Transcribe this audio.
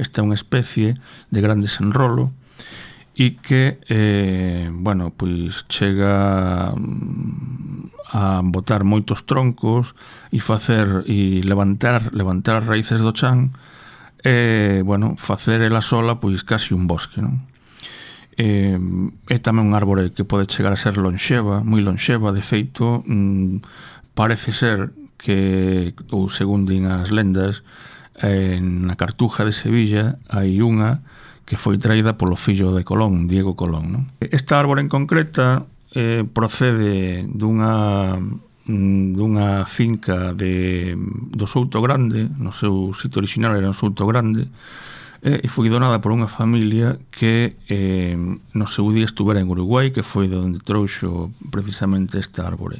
Esta é unha especie de gran desenrolo e que, pois chega a botar moitos troncos e levantar as raíces do chan e, facer ela sola pois casi un bosque, non? É tamén un árbore que pode chegar a ser lonxeva, moi lonxeva. De feito, parece ser que, ou según din as lendas, na Cartuja de Sevilla hai unha que foi traída polo fillo de Colón, Diego Colón, non? Esta árbore en concreta procede dunha finca do Souto Grande. No seu sitio original era o Souto Grande, e foi donada por unha familia que no seu día estuvera en Uruguai, que foi de onde trouxo precisamente esta árbore.